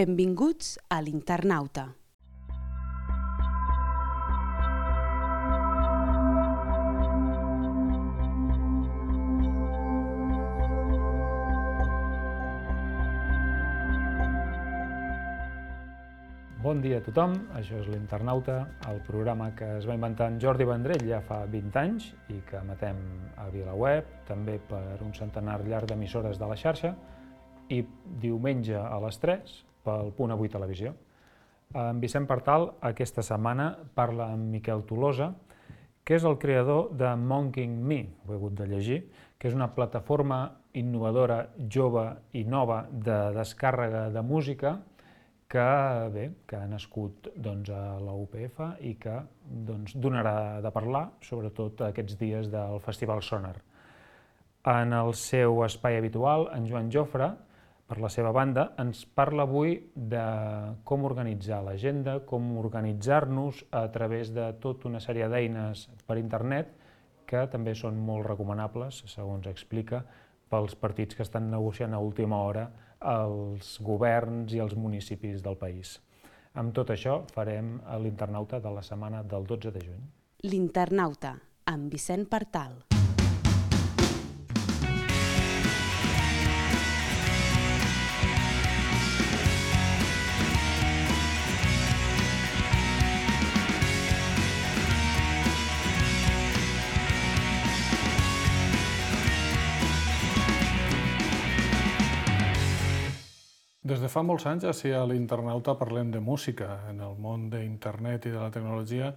Benvinguts a l'Internauta. Bon dia a tothom, això és l'Internauta, el programa que es va inventar en Jordi Vendrell ja fa 20 anys i que emetem a VilaWeb, també per un centenar llarg d'emissores de la xarxa, i diumenge a les 3 pel Punt Avui Televisió. En Vicent Partal aquesta setmana parla amb Miquel Tolosa, que és el creador de Monking Me, ho he hagut de llegir, que és una plataforma innovadora, jove i nova de descàrrega de música que ha nascut a la UPF i que donarà de parlar, sobretot aquests dies del Festival Sonar. En el seu espai habitual, en Joan Jofre, per la seva banda, ens parla avui de com organitzar l'agenda, com organitzar-nos a través de tota una sèrie d'eines per internet que també són molt recomanables, segons explica, pels partits que estan negociant a última hora els governs i els municipis del país. Amb tot això farem l'Internauta de la setmana del 12 de juny. L'Internauta, amb Vicent Partal. Des de fa molts anys, així a l'Internauta parlem de música. En el món d'internet i de la tecnologia,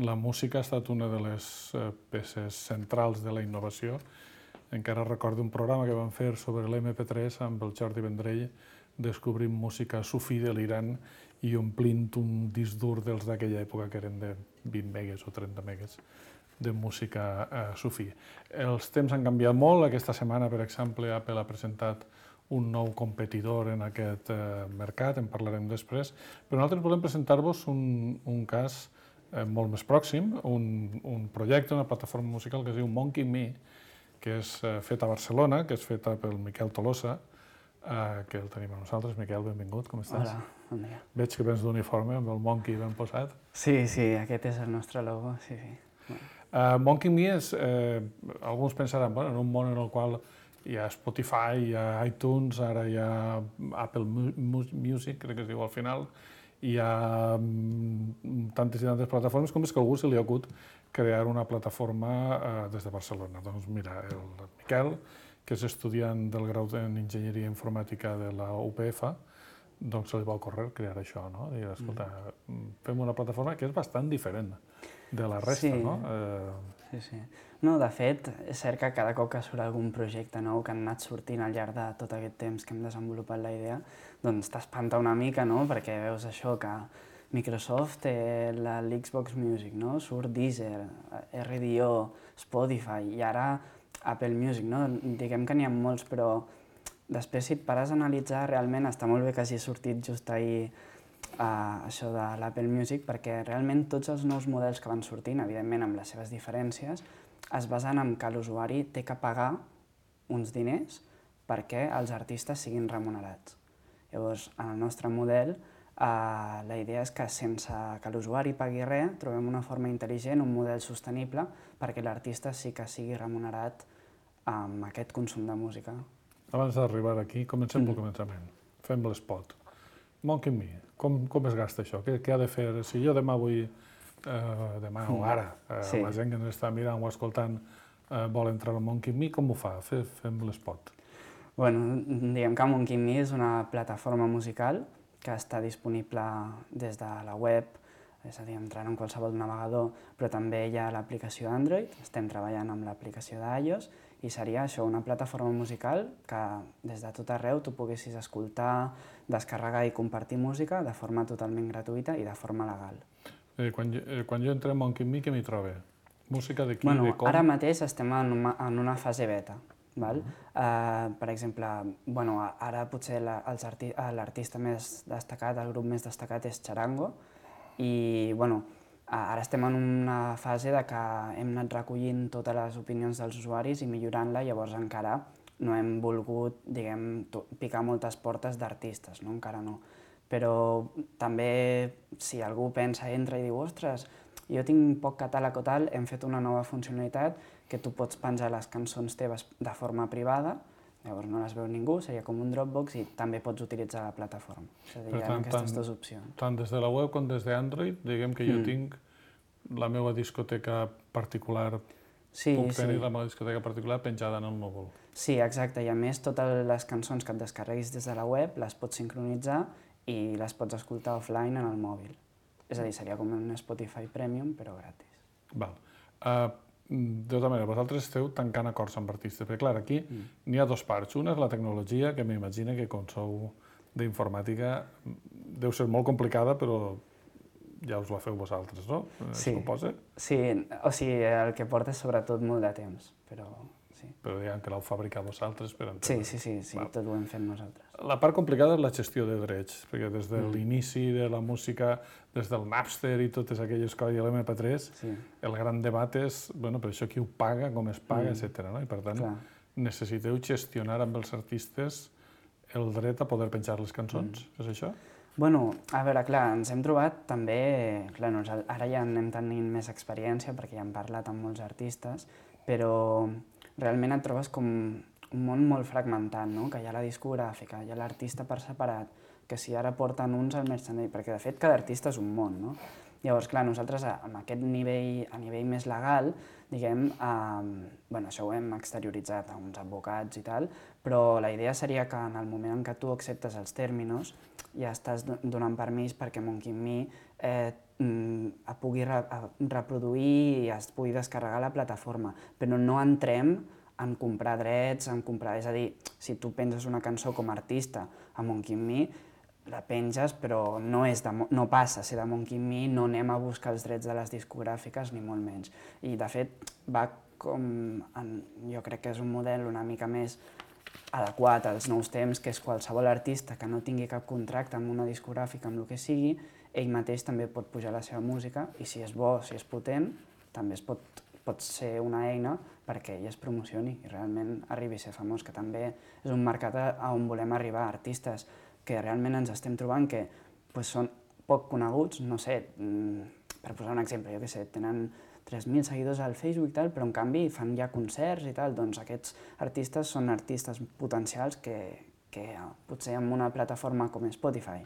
la música ha estat una de les peces centrals de la innovació. Encara recordo un programa que vam fer sobre l'MP3 amb el Jordi Vendrell, descobrint música sufí de l'Iran i omplint un disc dur dels d'aquella època, que eren de 20 megues o 30 megues de música sufí. Els temps han canviat molt. Aquesta setmana, per exemple, Apple ha presentat un nou competidor en aquest mercat, en parlarem després, però nosaltres volem presentar-vos un cas molt més pròxim, un projecte, una plataforma musical que es diu Monking Me, que és feta a Barcelona, que és feta pel Miquel Tolosa, que el tenim amb nosaltres. Miquel, benvingut, com estàs? Hola, bon dia. Veig que vens d'uniforme amb el Monkey ben posat. Sí, aquest és el nostre logo, sí. Monking Me és, alguns pensaran, en un món en el qual hi ha Spotify, hi ha iTunes, ara hi ha Apple Music, crec que es diu al final, hi ha tantes i tantes plataformes, com és que a algú se li ha hagut crear una plataforma des de Barcelona. Doncs mira, el Miquel, que és estudiant del grau en Enginyeria Informàtica de la UPF, doncs se li va ocórrer crear això, no? Dir, escolta, fem una plataforma que és bastant diferent de la resta, no? Sí. No, de fet, és cert que cada cop que surt algun projecte nou que han anat sortint al llarg de tot aquest temps que hem desenvolupat la idea, doncs t'espanta una mica, no? Perquè veus això, que Microsoft té l'Xbox Music, no? Surt Deezer, RDO, Spotify i ara Apple Music, no? Diguem que n'hi ha molts, però després si et pares a analitzar, realment està molt bé que hagi sortit just ahir això de l'Apple Music, perquè realment tots els nous models que van sortint, evidentment amb les seves diferències, es basen en que l'usuari té que pagar uns diners perquè els artistes siguin remunerats. Llavors, en el nostre model, la idea és que sense que l'usuari pagui res, trobem una forma intel·ligent, un model sostenible, perquè l'artista sí que sigui remunerat amb aquest consum de música. Abans d'arribar aquí, comencem pel començament. Fem l'espot. Monking Me, com es gasta això? Què ha de fer? Si jo demà vull, demà o ara, la gent que ens està mirant o escoltant vol entrar al Monking Me, com ho fa? Fem l'espot. Bueno, diguem que Monking Me és una plataforma musical que està disponible des de la web, és a dir, entrant en qualsevol navegador, però també hi ha l'aplicació d'Android, estem treballant amb l'aplicació d'iOS, i seria això, una plataforma musical que des de tot arreu tu poguessis escoltar, descarregar i compartir música de forma totalment gratuïta i de forma legal. Quan jo entro a Monking Me, què m'hi trobo? Música de qui, de com? Ara mateix estem en una fase beta. Per exemple, ara potser l'artista més destacat, el grup més destacat és Charango, i ara estem en una fase de que hem anat recollint totes les opinions dels usuaris i millorant-la, llavors encara no hem volgut, picar moltes portes d'artistes, encara no. Però també, si algú pensa, entra i diu, ostres, jo tinc poc catàleg o tal, hem fet una nova funcionalitat que tu pots penjar les cançons teves de forma privada, llavors no les veu ningú, seria com un Dropbox i també pots utilitzar la plataforma. És a dir, hi ha aquestes dues opcions. Tant des de la web com des d'Android, diguem que jo tinc la meva discoteca particular, puc tenir la meva discoteca particular penjada en el núvol. Sí, exacte, i a més totes les cançons que et descarreguis des de la web les pots sincronitzar i les pots escoltar offline en el mòbil. És a dir, seria com un Spotify Premium, però gratis. Val. De tota manera, vosaltres esteu tancant acords amb artistes, perquè clar, aquí n'hi ha dues parts. Una és la tecnologia, que m'imagina que com sou d'informàtica deu ser molt complicada, però ja us la feu vosaltres, no? Sí, suposa? Sí, o sigui, el que porta és sobretot molt de temps, però sí. Però diguem que l'heu fabricat vosaltres per entendre. Sí, tot ho hem fet nosaltres. La part complicada és la gestió de drets, perquè des de l'inici de la música, des del Napster i totes aquelles coses, i l'MP3, el gran debat és, bueno, per això qui ho paga, com es paga, etc. I per tant, necessiteu gestionar amb els artistes el dret a poder penjar les cançons, és això? Bueno, a veure, clar, ens hem trobat també... Clar, ara ja anem tenint més experiència perquè ja hem parlat amb molts artistes, però realment et trobes com un món molt fragmentat, no? Que hi ha la discogràfica, hi ha l'artista per separat, que si ara porten uns al merchandising, perquè de fet cada artista és un món, no? Llavors, clar, nosaltres amb aquest nivell, a nivell més legal, diguem, bueno, això ho hem exterioritzat a uns advocats i tal, però la idea seria que en el moment en què tu acceptes els términos ja estàs donant permís perquè Monkey Me pugui reproduir i es pugui descarregar la plataforma, però no entrem en comprar drets, és a dir, si tu penses una cançó com a artista a Monkey Me, la penges, però no passa a ser de Monkey Me, no anem a buscar els drets de les discogràfiques, ni molt menys. I, de fet, va com... Jo crec que és un model una mica més adequat als nous temps, que és qualsevol artista que no tingui cap contracte amb una discogràfica, amb el que sigui, ell mateix també pot pujar la seva música i si és bo, si és potent, també pot ser una eina perquè ell es promocioni i realment arribi a ser famós, que també és un mercat on volem arribar, artistes que realment ens estem trobant que són poc coneguts, no sé, per posar un exemple, jo què sé, tenen 3.000 seguidors al Facebook i tal, però en canvi fan ja concerts i tal, doncs aquests artistes són artistes potencials que potser amb una plataforma com Spotify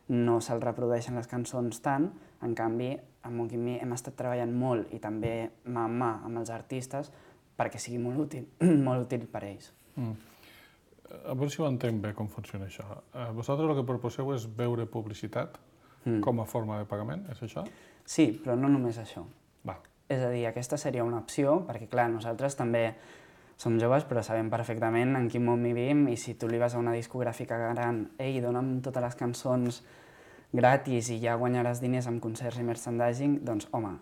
no se'ls reprodueixen les cançons tant, en canvi amb Monkey Me hem estat treballant molt i també mà en mà amb els artistes perquè sigui molt útil per a ells. A veure si ho entenc bé com funciona això. Vosaltres el que proposeu és veure publicitat com a forma de pagament, és això? Sí, però no només això. Va. És a dir, aquesta seria una opció, perquè clar, nosaltres també som joves però sabem perfectament en quin món vivim i si tu li vas a una discogràfica gran, ei, dona'm totes les cançons gratis i ja guanyaràs diners amb concerts i merchandising, doncs home,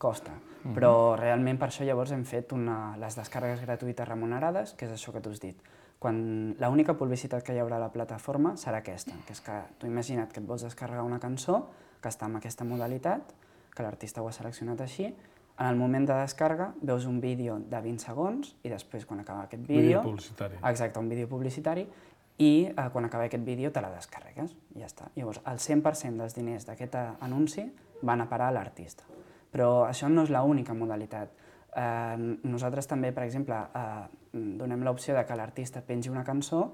costa. Però realment per això llavors hem fet les descàrregues gratuïtes remunerades, que és això que tu has dit. L'única publicitat que hi haurà a la plataforma serà aquesta, que és que tu imagina't que et vols descarregar una cançó que està en aquesta modalitat, que l'artista ho ha seleccionat així, en el moment de descàrrega veus un vídeo de 20 segons i després quan acaba aquest vídeo... Vídeo publicitari. Exacte, un vídeo publicitari i quan acaba aquest vídeo te la descarregues i ja està. Llavors, el 100% dels diners d'aquest anunci van a parar a l'artista. Però això no és l'única modalitat. Nosaltres també, per exemple, donem l'opció de que l'artista pengi una cançó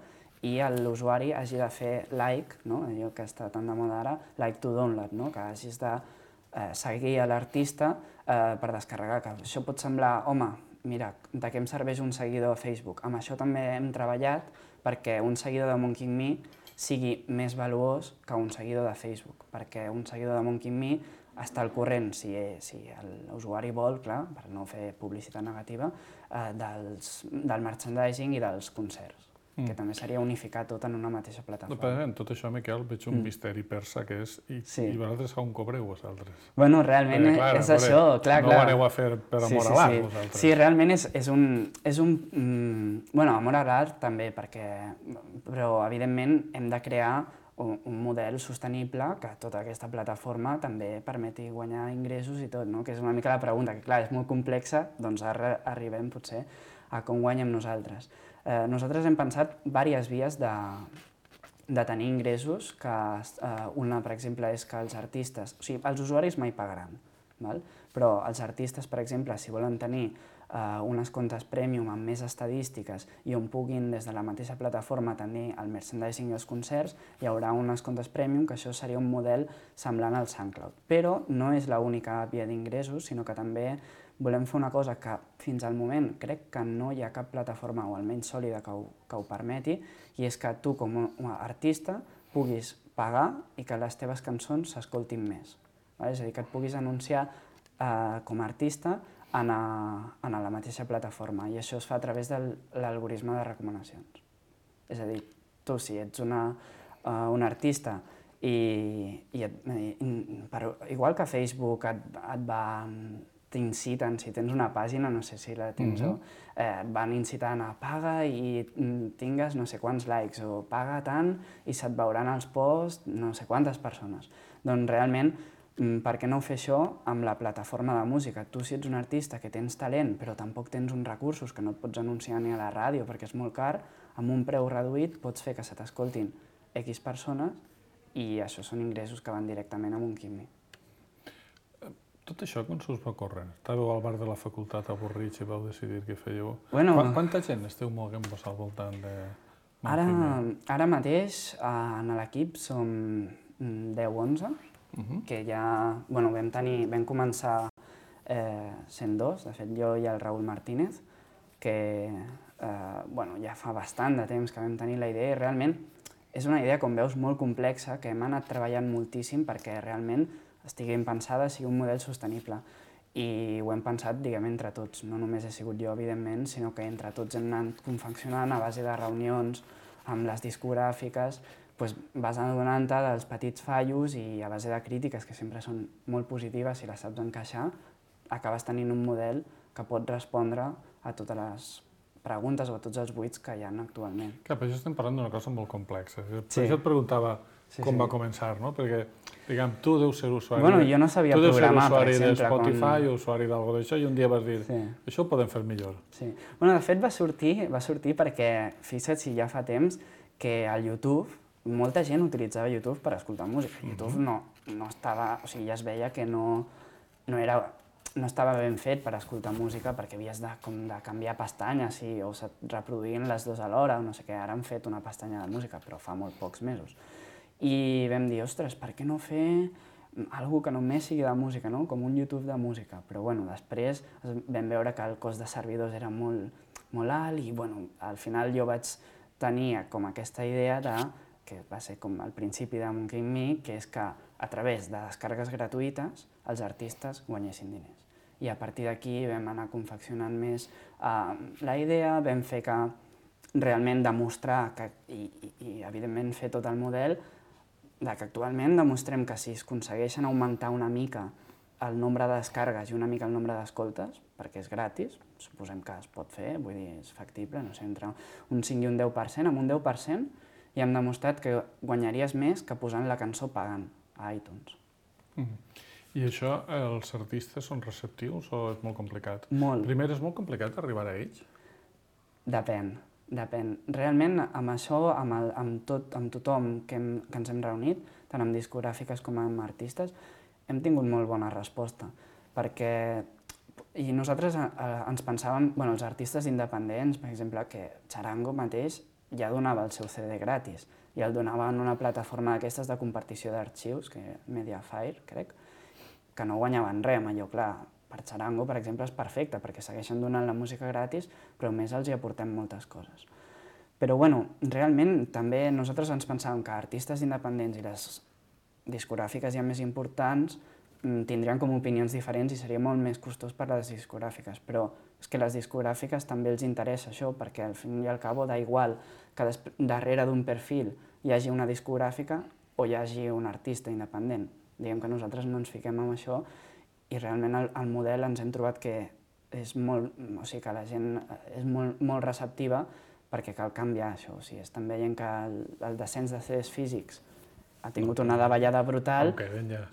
i l'usuari hagi de fer like, allò que està tan de moda ara, like to download, que hagis de seguir a l'artista per descarregar. Que això pot semblar, home, mira, de què em serveix un seguidor a Facebook? Amb això també hem treballat perquè un seguidor de Monkey Me sigui més valuós que un seguidor de Facebook, perquè un seguidor de Monkey Me està al corrent, si l'usuari vol, clar, per no fer publicitat negativa, del merchandising i dels concerts, que també seria unificar tot en una mateixa plataforma. En tot això, Miquel, veig un misteri persa que és i vosaltres on cobreu vosaltres? Bueno, realment és això, clar. No ho aneu a fer per amor a l'art, vosaltres. Sí, realment és un... Bueno, amor a l'art també, però evidentment hem de crear un model sostenible que tota aquesta plataforma també permeti guanyar ingressos i tot, que és una mica la pregunta, que clar, és molt complexa, doncs ara arribem potser a com guanyem nosaltres. Nosaltres hem pensat diverses vies de tenir ingressos que una, per exemple, és que els artistes, o sigui, els usuaris mai pagaran, val? Però els artistes, per exemple, si volen tenir unes comptes premium amb més estadístiques i on puguin des de la mateixa plataforma tenir el merchandising i els concerts, hi haurà unes comptes premium, que això seria un model semblant al SoundCloud. Però no és l'única via d'ingressos, sinó que també volem fer una cosa que fins al moment crec que no hi ha cap plataforma, o almenys sòlida, que ho permeti, i és que tu com a artista puguis pagar i que les teves cançons s'escoltin més. És a dir, que et puguis anunciar com a artista en la mateixa plataforma, i això es fa a través de l'algoritme de recomanacions. És a dir, tu si ets un artista igual que Facebook t'inciten, si tens una pàgina, no sé si la tens, et van incitant a paga i tingues no sé quants likes, o paga tant i se't veuran els posts no sé quantes persones. Doncs realment, per què no fer això amb la plataforma de música? Tu, si ets un artista que tens talent però tampoc tens uns recursos, que no et pots anunciar ni a la ràdio perquè és molt car, amb un preu reduït pots fer que se t'escoltin X persones i això són ingressos que van directament a un quimi. Tot això quan s'us va córrer? Estàveu al bar de la facultat avorrits i vau decidir què fèieu? Quanta gent esteu moguent-vos al voltant de Montquimi? Ara mateix en l'equip som 10-11, que ja vam començar sent dos, de fet jo i el Raül Martínez, que ja fa bastant de temps que vam tenir la idea i realment és una idea, com veus, molt complexa, que hem anat treballant moltíssim perquè realment estigui ben pensada, sigui un model sostenible. I ho hem pensat, diguem, entre tots. No només he sigut jo, evidentment, sinó que entre tots hem anat confeccionant a base de reunions amb les discogràfiques, vas adonant-te dels petits fallos i a base de crítiques, que sempre són molt positives si les saps encaixar, acabes tenint un model que pot respondre a totes les preguntes o a tots els buits que hi ha actualment. Clar, però això estem parlant d'una cosa molt complexa. Per això et preguntava com va començar, no? Perquè, diguem, tu deus ser usuari... Jo no sabia programar, per exemple. Tu deus ser usuari de Spotify o usuari d'algo d'això i un dia vas dir, això ho podem fer millor. Sí. De fet va sortir perquè, fixa't si ja fa temps, que al YouTube, molta gent utilitzava YouTube per escoltar música. YouTube no estava... O sigui, ja es veia que no estava ben fet per escoltar música perquè havies de canviar pestanyes o se't reproduïen les dues alhora, o no sé què. Ara han fet una pestanya de música, però fa molt pocs mesos. I vam dir, ostres, per què no fer alguna que només sigui de música, com un YouTube de música? Però després vam veure que el cost de servidors era molt alt i al final jo vaig tenir com aquesta idea que va ser com el principi de Montquimi, que és que a través de descàrregues gratuïtes els artistes guanyessin diners. I a partir d'aquí vam anar confeccionant més la idea, vam fer que realment demostrar i evidentment fer tot el model que actualment demostrem que si es aconsegueixen augmentar una mica el nombre de descàrregues i una mica el nombre d'escoltes, perquè és gratis, suposem que es pot fer, vull dir, és factible, no sé, entre un 5 i un 10%, amb un 10% i hem demostrat que guanyaries més que posant la cançó pagant a iTunes. I això, els artistes són receptius o és molt complicat? Molt. Primer, és molt complicat arribar a ells? Depèn. Realment, amb això, amb tothom que ens hem reunit, tant amb discogràfiques com amb artistes, hem tingut molt bona resposta, perquè nosaltres ens pensàvem, els artistes independents, per exemple, que Txarango mateix ja donava el seu CD gratis, i el donava en una plataforma d'aquestes de compartició d'arxius, Mediafire, crec, que no guanyaven res amb allò, clar. Per Txarango, per exemple, és perfecte, perquè segueixen donant la música gratis, però a més els hi aportem moltes coses. Però, realment, també nosaltres ens pensàvem que artistes independents i les discogràfiques ja més importants tindrien com opinions diferents i seria molt més costós per a les discogràfiques, però és que a les discogràfiques també els interessa això, perquè al fin i al cabo da igual que darrere d'un perfil hi hagi una discogràfica o hi hagi un artista independent. Diguem que nosaltres no ens fiquem en això i realment el model ens hem trobat que és molt, o sigui, que la gent és molt receptiva perquè cal canviar això. O sigui, estan veient que el descens de CDs físics ha tingut una davallada brutal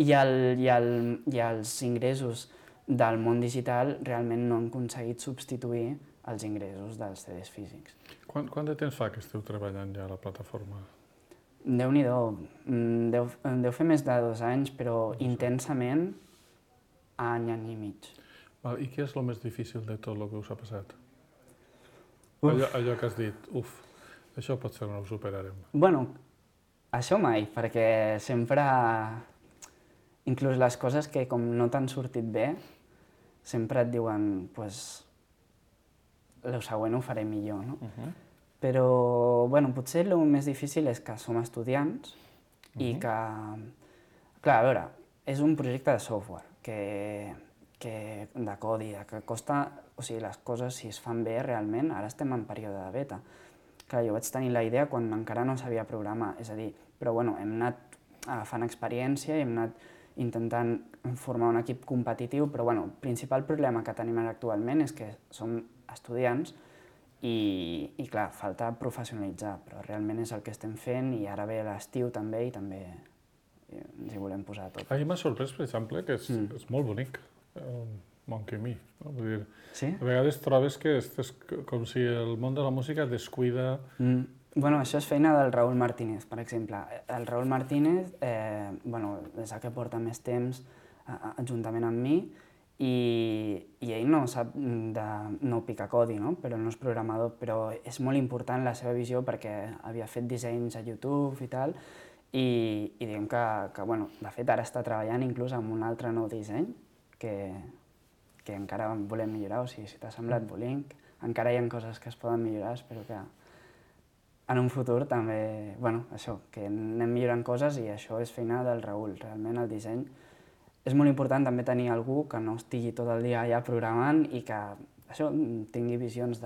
i els ingressos del món digital realment no han aconseguit substituir els ingressos dels CDs físics. Quant de temps fa que esteu treballant ja a la plataforma? Déu-n'hi-do, deu fer més de 2 anys, però intensament any i mig. I què és el més difícil de tot el que us ha passat? Uf. Allò que has dit, això potser no ho superarem. Bueno, això mai, perquè sempre, inclús les coses que com no t'han sortit bé, sempre et diuen, pues, el següent ho faré millor, no? Però, bueno, potser el més difícil és que som estudiants i que, clar, a veure, és un projecte de software de codi, que costa, o sigui, les coses, si es fan bé realment, ara estem en període de beta. Clar, jo vaig tenir la idea quan encara no sabia programar, és a dir, però bueno, hem anat agafant experiència i hem anat intentant formar un equip competitiu, però bueno, el principal problema que tenim ara actualment és que som estudiants i clar, falta professionalitzar, però realment és el que estem fent i ara ve l'estiu també i també ens hi volem posar tot. A mi m'ha sorprès, per exemple, que és molt bonic, Monkey Me. No? Vull dir, sí? A vegades trobes que és com si el món de la música descuida... Bueno, això és feina del Raúl Martínez, per exemple. El Raúl Martínez és el que porta més temps juntament amb mi i ell no sap no picar codi, no? Però no és programador, però és molt important la seva visió perquè havia fet dissenys a YouTube i tal, i diguem que bueno, de fet ara està treballant inclús amb un altre nou disseny que encara volem millorar, o sigui, si t'ha semblat Bolink, encara hi ha coses que es poden millorar, espero que en un futur també, bueno, això, que anem millorant coses i això és feina del Raúl, realment el disseny. És molt important també tenir algú que no estigui tot el dia allà programant i que això tingui visions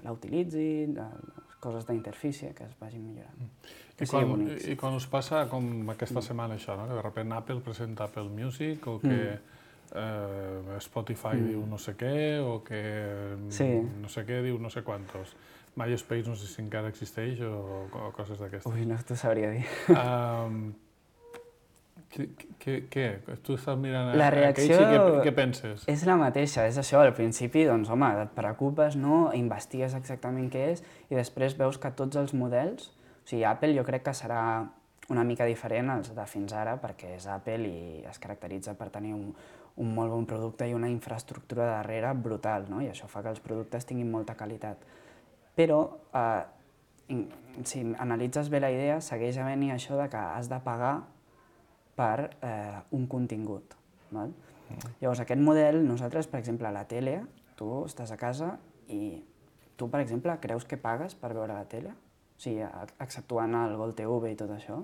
l'utilitzi, de coses d'interfície que es vagin millorant. I quan us passa com aquesta setmana això, no? Que de sobte Apple presenta Apple Music o que Spotify diu no sé què o que no sé què diu no sé quantos. MySpace no sé si encara existeix o coses d'aquestes. Ui, no t'ho sabria dir. Què? Tu estàs mirant la reacció i què penses? És la mateixa, és això, al principi, doncs, home, et preocupes, no? Investigues exactament què és i després veus que tots els models, o sigui, Apple jo crec que serà una mica diferent als de fins ara perquè és Apple i es caracteritza per tenir un molt bon producte i una infraestructura darrere brutal, no? I això fa que els productes tinguin molta qualitat. Però, si analitzes bé la idea, segueix havent-hi això de que has de pagar per un contingut. Val? Llavors, aquest model, nosaltres, per exemple, a la tele, tu estàs a casa i tu, per exemple, creus que pagues per veure la tele? O sigui, exceptuant el Gol TV i tot això?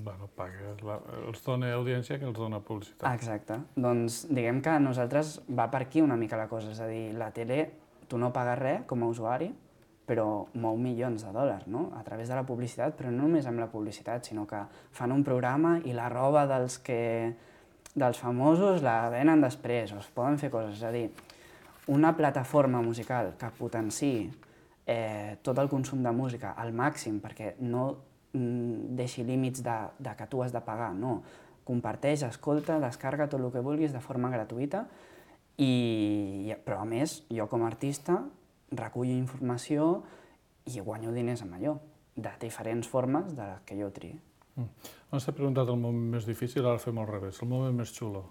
Bueno, pagues, els dona audiència que els dona publicitat. Exacte. Doncs diguem que a nosaltres va per aquí una mica la cosa, és a dir, la tele, tu no pagues res com a usuari, però mou milions de dòlars, no? A través de la publicitat, però no només amb la publicitat, sinó que fan un programa i la roba dels famosos la venen després, o es poden fer coses. És a dir, una plataforma musical que potenciï tot el consum de música al màxim, perquè no deixi límits de que tu has de pagar, no. Comparteix, escolta, descarga tot el que vulguis de forma gratuïta, però a més, jo com a artista recullo informació i guanyo diners amb allò, de diferents formes de les que jo triï. Abans t'he preguntat el moment més difícil, ara fem al revés, el moment més xulo.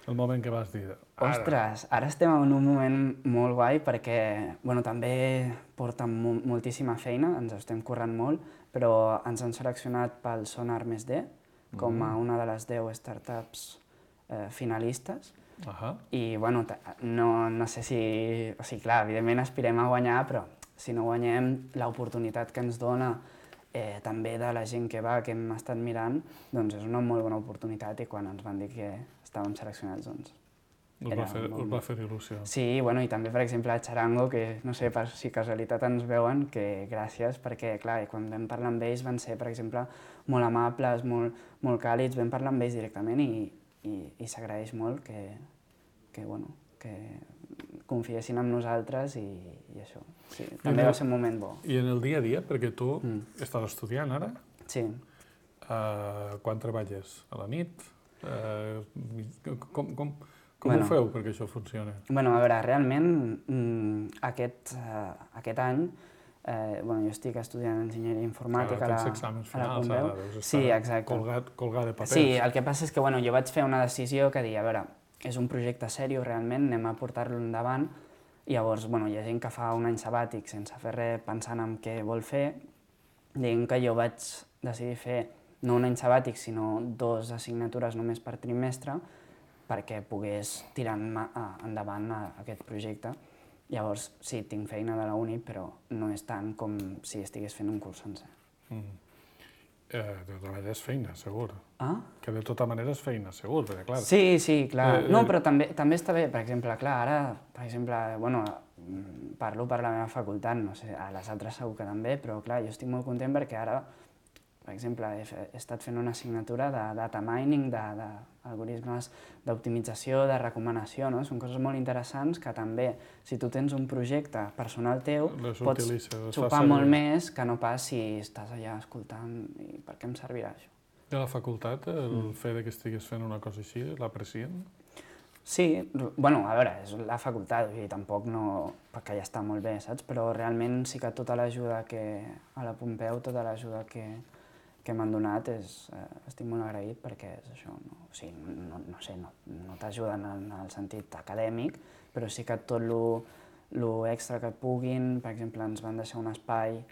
El moment que vas dir... Ostres, ara estem en un moment molt guai perquè també porta moltíssima feina, ens estem currant molt, però ens han seleccionat pel Sonar +D com a una de les 10 startups finalistes. I no sé si... O sigui, clar, evidentment aspirem a guanyar, però si no guanyem, l'oportunitat que ens dona també de la gent que va, que hem estat mirant, doncs és una molt bona oportunitat i quan ens van dir que estàvem seleccionats, doncs... Us va fer il·lusió. Sí, i també, per exemple, a Charango, que no sé si casualitat ens veuen, que gràcies, perquè, clar, quan vam parlar amb ells van ser, per exemple, molt amables, molt càlids, vam parlar amb ells directament i s'agraeix molt que confiessin en nosaltres i això. Sí, també va ser un moment bo. I en el dia a dia, perquè tu estàs estudiant ara? Sí. Quan treballes? A la nit? Com ho feu perquè això funcioni? A veure, realment aquest any jo estic estudiant enginyeria informàtica Tens exàmens finals, ara deus estar colgat de papers. Sí, el que passa és que jo vaig fer una decisió que dir, a veure, és un projecte seriós realment, anem a portar-lo endavant, i llavors hi ha gent que fa un any sabàtic sense fer res pensant en què vol fer. Diguem que jo vaig decidir fer no un any sabàtic, sinó 2 assignatures només per trimestre, perquè pogués tirar endavant aquest projecte. Llavors, sí, tinc feina de la uni, però no és tant com si estigués fent un curs sencer. De tota manera és feina, segur. Ah? Que de tota manera és feina, segur, perquè clar... Sí, clar. No, però també està bé, per exemple, clar, ara, per exemple, parlo per la meva facultat, no sé, a les altres segur que també, però clar, jo estic molt content perquè ara, per exemple, he estat fent una assignatura de data mining, d'algoritmes d'optimització, de recomanació, no? Són coses molt interessants que també, si tu tens un projecte personal teu, pots xupar molt més que no pas si estàs allà escoltant i per què em servirà això. I a la facultat, el fet que estiguis fent una cosa així, l'aprecien? Sí, a veure, és la facultat, tampoc no... perquè ja està molt bé, saps? Però realment sí que tota l'ajuda a la Pompeu, tota l'ajuda que m'han donat, estic molt agraït perquè és això, no t'ajuden en el sentit acadèmic, però sí que tot l'extra que puguin, per exemple, ens van deixar un espai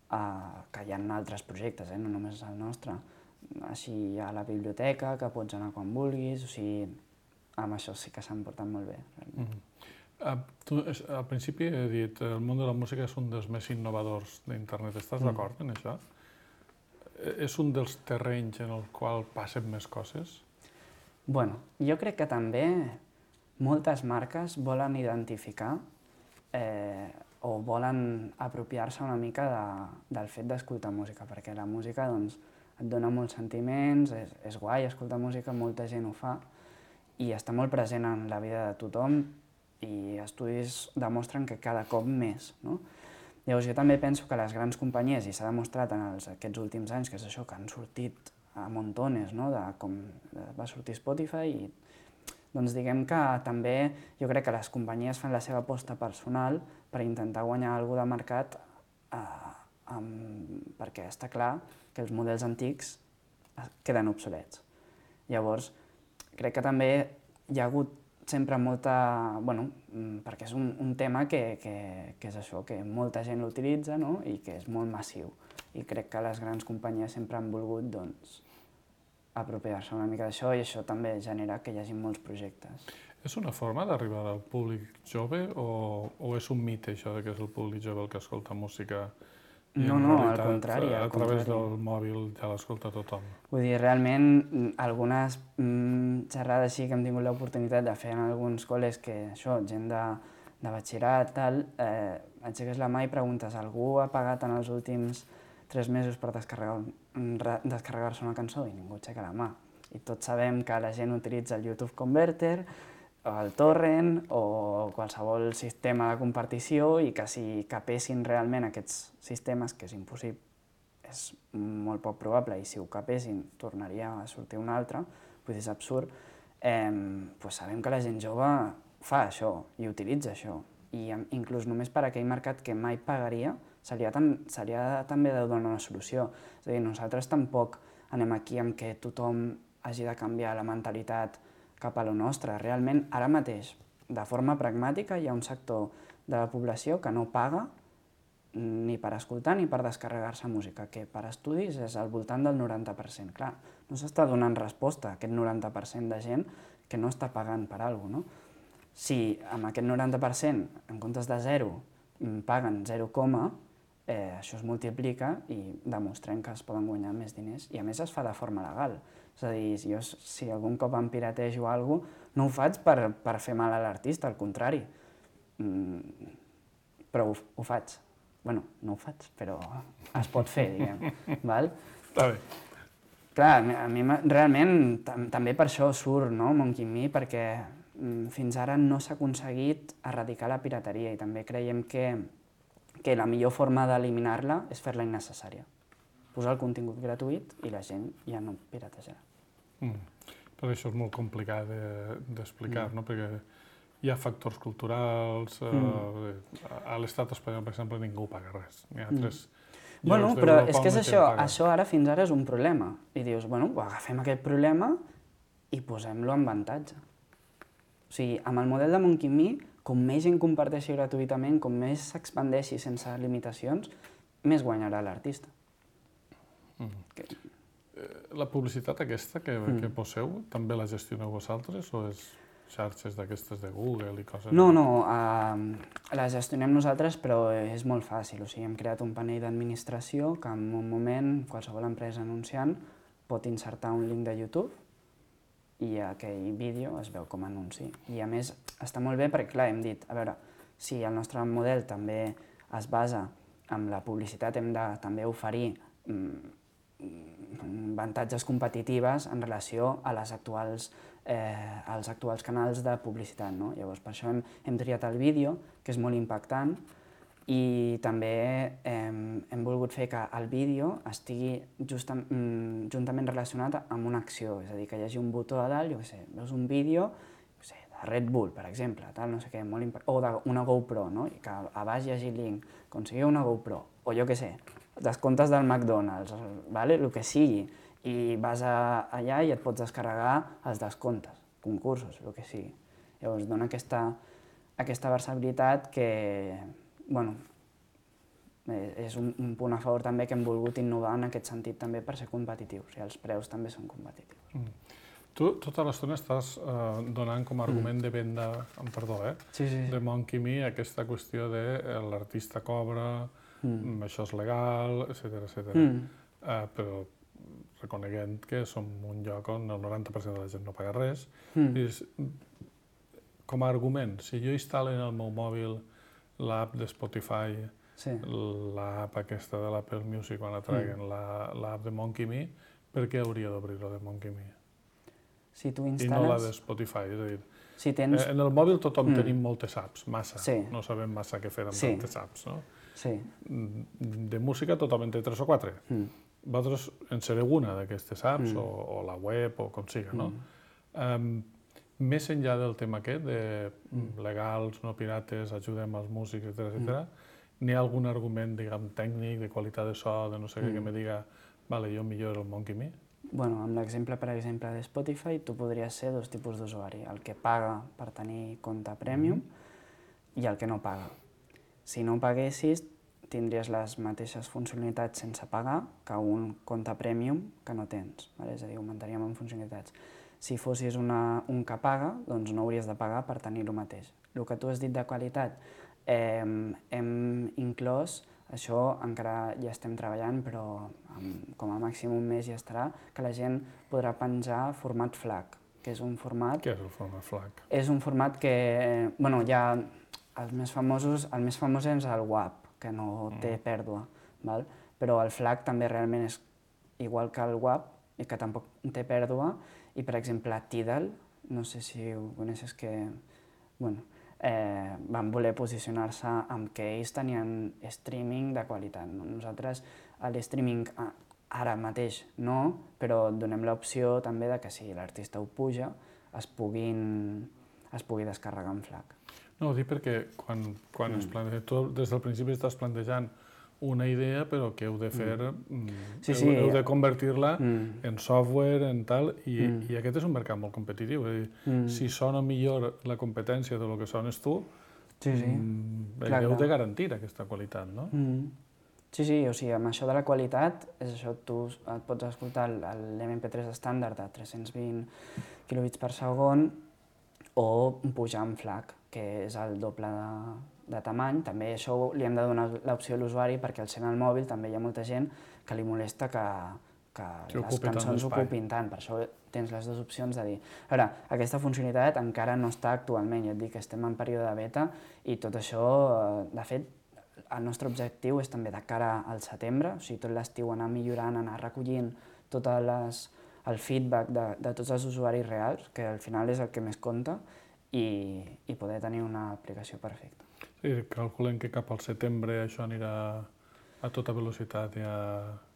que hi ha altres projectes, no només el nostre, així hi ha la biblioteca, que pots anar quan vulguis, o sigui, amb això sí que s'han portat molt bé. Tu al principi he dit el món de la música és un dels més innovadors d'internet, estàs d'acord en això? És un dels terrenys en el qual passen més coses? Bueno, jo crec que també moltes marques volen identificar o volen apropiar-se una mica del fet d'escoltar música, perquè la música et dona molts sentiments, és guai escoltar música, molta gent ho fa, i està molt present en la vida de tothom, i estudis demostren que cada cop més, no? Llavors jo també penso que les grans companyies, i s'ha demostrat en aquests últims anys, que és això, que han sortit a montones, no? Com va sortir Spotify, i doncs diguem que també jo crec que les companyies fan la seva aposta personal per intentar guanyar alguna cosa de mercat, perquè està clar que els models antics queden obsolets. Llavors, crec que també hi ha hagut sempre molta... perquè és un tema que és això, que molta gent l'utilitza, no? I que és molt massiu. I crec que les grans companyies sempre han volgut, apropiar-se una mica d'això, i això també genera que hi hagi molts projectes. És una forma d'arribar al públic jove o és un mite, això, que és el públic jove el que escolta música? No, al contrari. A través del mòbil ja l'escolta tothom. Vull dir, realment, algunes xerrades així que hem tingut l'oportunitat de fer en alguns col·les que, això, gent de batxillerat, tal, aixeques la mà i preguntes, algú ha pagat en els últims 3 mesos per descarregar-se una cançó? I ningú aixeca la mà. I tots sabem que la gent utilitza el YouTube Converter, el torrent o qualsevol sistema de compartició, i que si capessin realment aquests sistemes, que és impossible, és molt poc probable, i si ho capessin tornaria a sortir un altre, vull dir, és absurd, sabem que la gent jove fa això i utilitza això, i inclús només per aquell mercat que mai pagaria, seria també de donar una solució. És a dir, nosaltres tampoc anem aquí amb que tothom hagi de canviar la mentalitat cap a lo nostre. Realment, ara mateix, de forma pragmàtica, hi ha un sector de la població que no paga ni per escoltar ni per descarregar-se música, que per estudis és al voltant del 90%. Clar, no s'està donant resposta a aquest 90% de gent que no està pagant per alguna cosa, no? Si amb aquest 90%, en comptes de 0, paguen 0, això es multiplica i demostrem que es poden guanyar més diners, i a més es fa de forma legal. És a dir, jo si algun cop em piratejo alguna cosa, no ho faig per fer mal a l'artista, al contrari, però ho faig. Bueno, no ho faig, però es pot fer, diguem. Està bé. Clar, a mi realment també per això surt Monkey Me, perquè fins ara no s'ha aconseguit erradicar la pirateria, i també creiem que la millor forma d'eliminar-la és fer-la innecessària. Posar el contingut gratuït i la gent ja no piratejarà. Però això és molt complicat d'explicar, no? Perquè hi ha factors culturals. A l'estat espanyol, per exemple, ningú paga res. Hi ha altres Bueno, llocs però d'Europa és que és on la gent això, paga. això ara fins ara és un problema. I dius, bueno, agafem aquest problema i posem-lo en avantatge. O sigui, amb el model de Monkey Me, com més gent comparteixi gratuïtament, com més s'expandeixi sense limitacions, més guanyarà l'artista. La publicitat aquesta que poseu, també la gestioneu vosaltres o és xarxes d'aquestes de Google i coses? No, la gestionem nosaltres, però és molt fàcil. O sigui, hem creat un panell d'administració que en un moment qualsevol empresa anunciant pot insertar un link de YouTube i aquell vídeo es veu com a anunci. I a més està molt bé perquè, clar, hem dit, a veure, si el nostre model també es basa en la publicitat, hem de també oferir avantatges competitives en relació a als actuals canals de publicitat. No? Llavors, per això hem triat el vídeo, que és molt impactant, i també hem volgut fer que el vídeo estigui juntament relacionat amb una acció, és a dir, que hi hagi un botó a dalt, jo què sé, veus un vídeo de Red Bull, per exemple, no sé què, o d'una GoPro, no? I que a baix hi hagi el link, aconseguir una GoPro, o jo què sé, descomptes del McDonald's, el que sigui, i vas allà i et pots descarregar els descomptes, concursos, el que sigui. Llavors dona aquesta versatilitat que, bueno, és un punt a favor també que hem volgut innovar en aquest sentit també per ser competitius, i els preus també són competitius. Tu tota l'estona estàs donant com a argument de venda, perdó, de Monkey Me, aquesta qüestió de l'artista cobra, això és legal, etc. Però reconeguent que som un lloc on el 90% de la gent no paga res. Com a argument, si jo instal·lo en el meu mòbil l'app de Spotify, l'app aquesta de l'Apple Music quan la traiguen, l'app de Monkey Me, per què hauria d'obrir-ho de Monkey Me? I no la de Spotify, és a dir, en el mòbil tothom tenim moltes apps, massa, no sabem massa què fer amb tantes apps, no? De música tothom en té 3 o 4. Vosaltres en sereu una d'aquestes apps, o la web, o com siga, no? Més enllà del tema aquest, de legals, no pirates, ajudem als músics, etc., n'hi ha algun argument, diguem, tècnic, de qualitat de so, de no sé què, que me diga, vale, jo millor el Monkey Me? Bueno, amb l'exemple, per exemple, de Spotify, tu podries ser 2 tipus d'usuari, el que paga per tenir compte premium i el que no paga. Si no paguessis, tindries les mateixes funcionalitats sense pagar que un compte premium que no tens, és a dir, augmentaríem en funcionalitats. Si fossis un que paga, doncs no hauries de pagar per tenir el mateix. El que tu has dit de qualitat, hem inclòs, això encara hi estem treballant, però com a màxim un mes ja estarà, que la gent podrà penjar format FLAC, que és un format... Què és el format FLAC? És un format que, bueno, hi ha el més famós és el WAP, que no té pèrdua, però el FLAC també realment és igual que el WAP i que tampoc té pèrdua, i per exemple Tidal, no sé si ho coneixes, que van voler posicionar-se amb que ells tenien streaming de qualitat. Nosaltres l'streaming ara mateix no, però donem l'opció també de que si l'artista ho puja es pugui descarregar en FLAC. No, ho dic perquè quan es planteja, tu des del principi estàs plantejant una idea, però que heu de fer, heu de convertir-la en software, en tal, i aquest és un mercat molt competitiu. Si sona millor la competència del que sones tu, heu de garantir aquesta qualitat, no? Sí, o sigui, amb això de la qualitat, és això, tu et pots escoltar l'MP3 estàndard de 320 kilobits per segon o pujar en FLAC, que és el doble de tamany. També això li hem de donar l'opció a l'usuari perquè al ser al mòbil també hi ha molta gent que li molesta que les cançons ocupin tant. Per això tens les dues opcions de dir, a veure, aquesta funcionalitat encara no està actualment, ja et dic que estem en període de beta i tot això, de fet, el nostre objectiu és també de cara al setembre, o sigui, tot l'estiu anar millorant, anar recollint tot el feedback de tots els usuaris reals, que al final és el que més compta, i poder tenir una aplicació perfecta. Sí, calculem que cap al setembre això anirà a tota velocitat.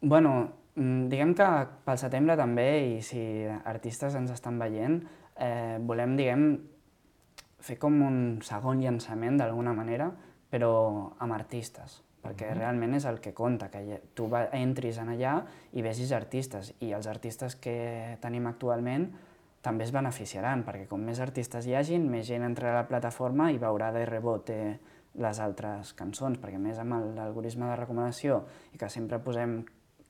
Bueno, diguem que pel setembre també, i si artistes ens estan veient, volem, diguem, fer com un segon llançament d'alguna manera, però amb artistes, perquè realment és el que compta, que tu entris en allà i vegis artistes, i els artistes que tenim actualment també es beneficiaran, perquè com més artistes hi hagin, més gent entrarà a la plataforma i veurà de rebote les altres cançons, perquè més amb l'algoritme de recomanació i que sempre posem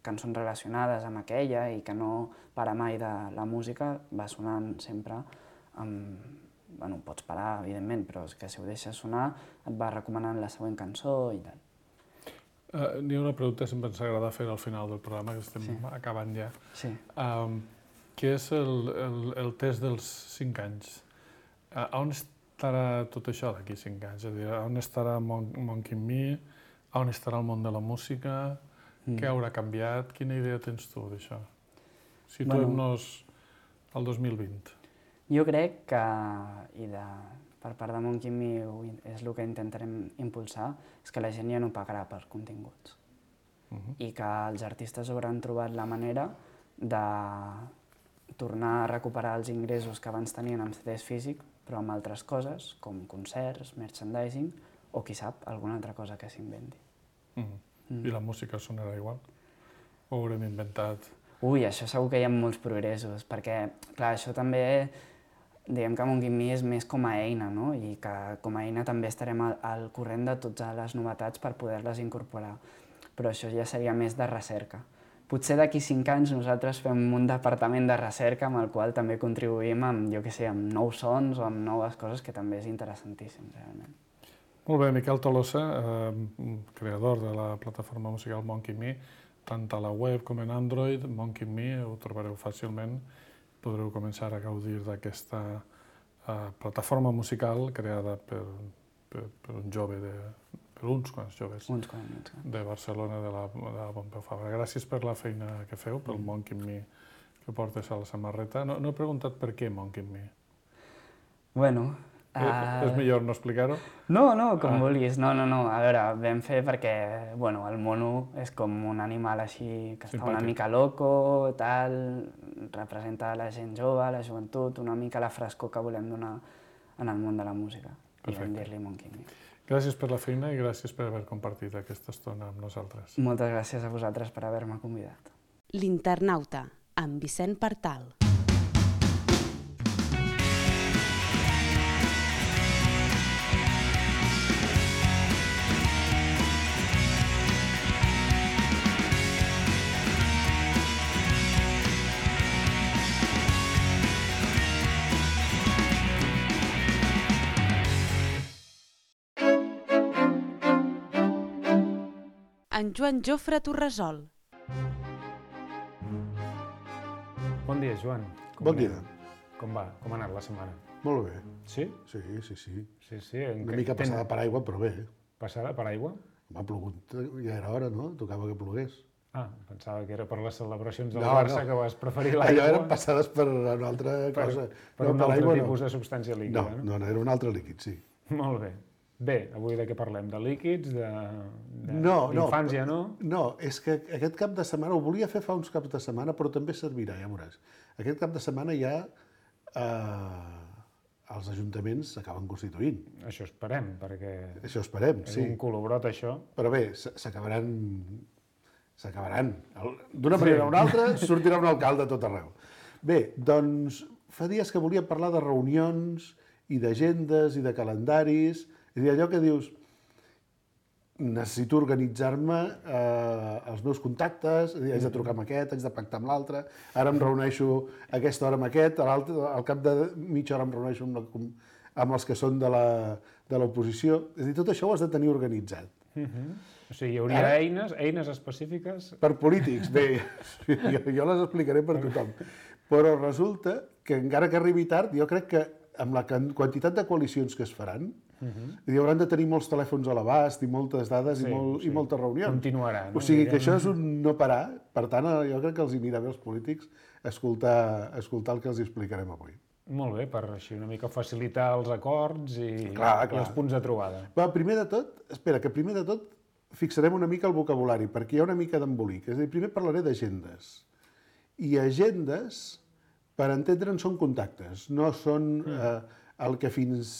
cançons relacionades amb aquella i que no para mai de la música, va sonant sempre amb... Bueno, pots parar, evidentment, però és que si ho deixes sonar et va recomanant la següent cançó i tal. N'hi ha una pregunta que sempre ens agrada fer al final del programa, que estem acabant ja. Sí. Què és el test dels 5 anys? On estarà tot això d'aquí 5 anys? És a dir, on estarà Monkey Me? On estarà el món de la música? Què haurà canviat? Quina idea tens tu d'això? Situem-nos al 2020. Jo crec que, per part de Monkey Me és el que intentarem impulsar, és que la gent ja no pagarà per continguts. I que els artistes hauran trobat la manera de tornar a recuperar els ingressos que abans tenien amb CDs físics, però amb altres coses, com concerts, merchandising, o qui sap, alguna altra cosa que s'inventi. I la música sonarà igual? O haurem inventat? Ui, això segur que hi ha molts progressos, perquè, clar, això també, diguem que Monkey Me és més com a eina, no? I que com a eina també estarem al corrent de totes les novetats per poder-les incorporar. Però això ja seria més de recerca. Potser d'aquí 5 anys nosaltres fem un departament de recerca amb el qual també contribuïm amb, jo què sé, amb nous sons o amb noves coses, que també és interessantíssim, realment. Molt bé, Miquel Tolosa, creador de la plataforma musical Monkey Me, tant a la web com en Android, Monkey Me, ho trobareu fàcilment. Podreu començar a gaudir d'aquesta plataforma musical creada per un jove, per uns quants joves de Barcelona, de la Pompeu Fabra. Gràcies per la feina que feu, pel Monkey Me que portes a la samarreta. No he preguntat per què Monkey Me. Bueno... És millor no explicar-ho? No, com vulguis. No. A veure, vam fer perquè, bueno, el mono és com un animal així que està una mica loco, tal, representa la gent jove, la joventut, una mica la frescor que volem donar en el món de la música. I vam dir-li Monkey Me. Gràcies per la feina i gràcies per haver compartit aquesta estona amb nosaltres. Moltes gràcies a vosaltres per haver-me convidat. L'Internauta, amb Vicent Partal. En Joan Jofre Torresol. Bon dia, Joan. Bon dia. Com va? Com ha anat la setmana? Molt bé. Sí? Sí. Sí. Una mica passada per aigua, però bé. Passada per aigua? M'ha plogut, ja era hora, no? Tocava que plogués. Pensava que era per les celebracions del Barça, que vas preferir l'aigua. Allò eren passades per una altra cosa. Per un altre tipus de substància líquida, no? No, era un altre líquid, sí. Molt bé. Bé, avui de què parlem? De líquids, d'infància, no? No, és que aquest cap de setmana, ho volia fer fa uns caps de setmana, però també servirà, ja veuràs. Aquest cap de setmana ja els ajuntaments s'acaben constituint. Això esperem, perquè... Això esperem, sí. És un colobrot, això. Però bé, s'acabaran. D'una manera o una altra sortirà un alcalde a tot arreu. Bé, doncs fa dies que volia parlar de reunions i d'agendes i de calendaris. És a dir, allò que dius, necessito organitzar-me els meus contactes, haig de trucar amb aquest, haig de pactar amb l'altre, ara em reuneixo a aquesta hora amb aquest, al cap de mitja hora em reuneixo amb els que són de l'oposició. És a dir, tot això ho has de tenir organitzat. O sigui, hi hauria eines específiques... Per polítics, bé, jo les explicaré per tothom. Però resulta que encara que arribi tard, jo crec que amb la quantitat de coalicions que es faran, hauran de tenir molts telèfons a l'abast i moltes dades i moltes reunions. Continuarà, no? O sigui que això és un no parar. Per tant, jo crec que els anirà bé als polítics escoltar el que els explicarem avui. Molt bé, per així una mica facilitar els acords i els punts de trobada. Primer de tot fixarem una mica el vocabulari, perquè hi ha una mica d'embolic. És a dir, primer parlaré d'agendes. I agendes, per entendre'n, són contactes, no són el que fins